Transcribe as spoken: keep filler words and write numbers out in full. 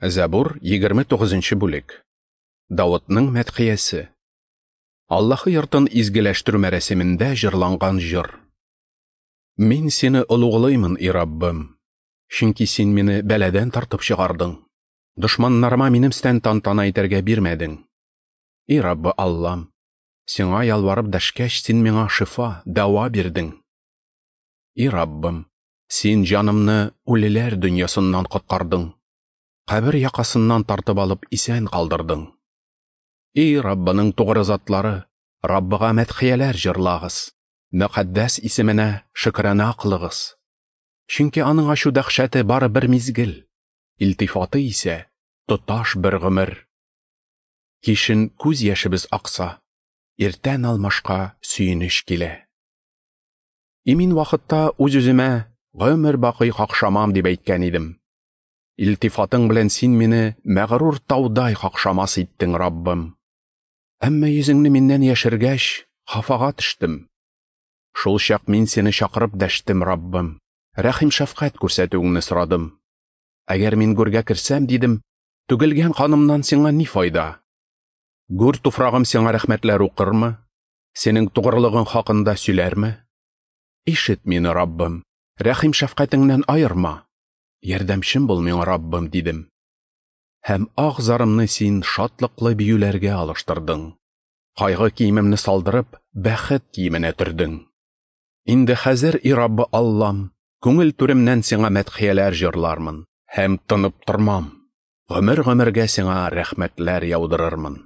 Зәбур егерме тугызынчы бүлек. Давытның мәдхиясе. Аллаһы йортын изгеләштерү мәрасимендә җырланган җыр. Мин сине олуглыймын, и Раббым, чөнки син мине бәладән тартып чыгардың. Дошманнарыма минем өстән тантана итәргә бирмәдең. И Раббы Аллам, сиңа ялварып дәшкәч, син миңа шифа, дәва бирдең. И Раббым, син җанымны үлеләр дөньясыннан коткардың. Кабер якасыннан тартып алып исән калдырдың. И Раббының тугры затлары, Раббыга мәдхияләр җырлагыз, мөкаддәс исеменә шөкрана кылыгыз. Чөнки аның ачу дәһшәте бары бер мизгел, илтифаты исә тоташ бер гомер. Кичен күз яшебез акса, иртән алмашка сөенеч килә. Имин вакытта үз-үземә гомер бакый какшамам дип әйткән идем. Илтифатың белән син мине мәгърур таудай какшамас иттең, Раббым. Әмма йөзеңне миннән яшергәч, хафага төштем. Шул чак мин сине чакырып дәштем, Раббым. Рәхим шәфкать күрсәтүеңне сорадым. Әгәр мин гүргә керсәм, дидем, түгелгән канымнан сиңа ни файда? Гүр туфрагым сиңа рәхмәтләр укырмы? Синең тугрылыгың хакында сөйләрме? Ишет мине, Раббым, рәхим шәфкатеңнән аерма. Ярдәмчем бул миңа, Раббым, дидем. Һәм ах зарымны син шатлыклы биюләргә алыштырдың. Кайгы киемемне салдырып, бәхет киеменә төрдең. Инде хәзер, и Раббы Аллам, күңел түремнән сиңа мәдхияләр җырлармын һәм тынып тормам. Гомер-гомергә сиңа рәхмәтләр яудырырмын.